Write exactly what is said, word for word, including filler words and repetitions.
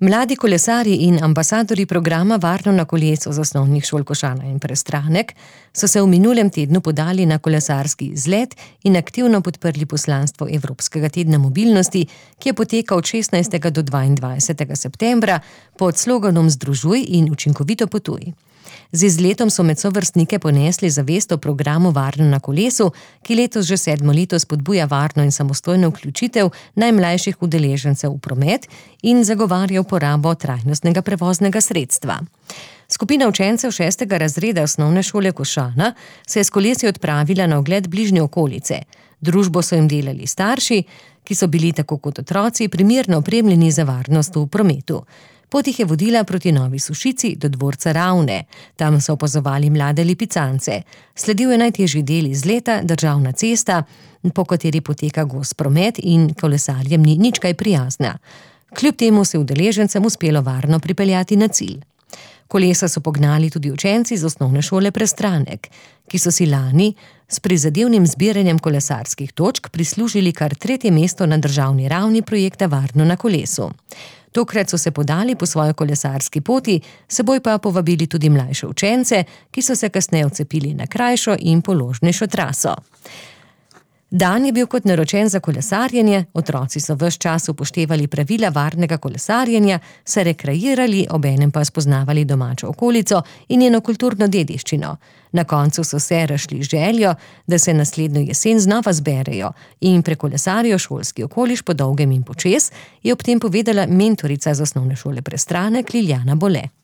Mladi kolesarji in ambasadorji programa Varno na kolesu z osnovnih šol Košana in Prestranek so se v minulem tednu podali na kolesarski izlet in aktivno podprli poslanstvo Evropskega tedna mobilnosti, ki je potekal od šestnajstega do dvaindvajsetega septembra pod sloganom Združuj in učinkovito potuj. Z izletom so med sovrstnike ponesli zavest o programu Varno na kolesu, ki letos že sedmo leto spodbuja varno in samostojno vključitev najmlajših udeležencev v promet in zagovarja uporabo trajnostnega prevoznega sredstva. Skupina učencev šestega razreda osnovne šole Košana se je s kolesi odpravila na ogled bližnje okolice. Družbo so jim delali starši, ki so bili tako kot otroci primerno opremljeni za varnost v prometu. Pot jih je vodila proti Novi Sušici do dvorca Ravne. Tam so opazovali mlade lipicance. Sledil je najtežji del izleta, državna cesta, po kateri poteka gost promet in kolesarjem ni nič kaj prijazna. Kljub temu se udeležencem uspelo varno pripeljati na cilj. Kolesa so pognali tudi učenci z osnovne šole Prestranek, ki so si lani s prizadevnim zbiranjem kolesarskih točk prislužili kar tretje mesto na državni ravni projekta Varno na kolesu. Tokrat so se podali po svoji kolesarski poti, seboj pa povabili tudi mlajše učence, ki so se kasneje odcepili na krajšo in položnejšo traso. Dan je bil kot naročen za kolesarjenje, otroci so ves čas upoštevali pravila varnega kolesarjenja, se rekreirali, obenem pa spoznavali domačo okolico in njeno kulturno dediščino. Na koncu so se razšli z željo, da se naslednjo jesen znova zberejo in prekolesarijo šolski okoliš po dolgem in počez, je ob tem povedala mentorica z osnovne šole Prestranek Liljana Bole.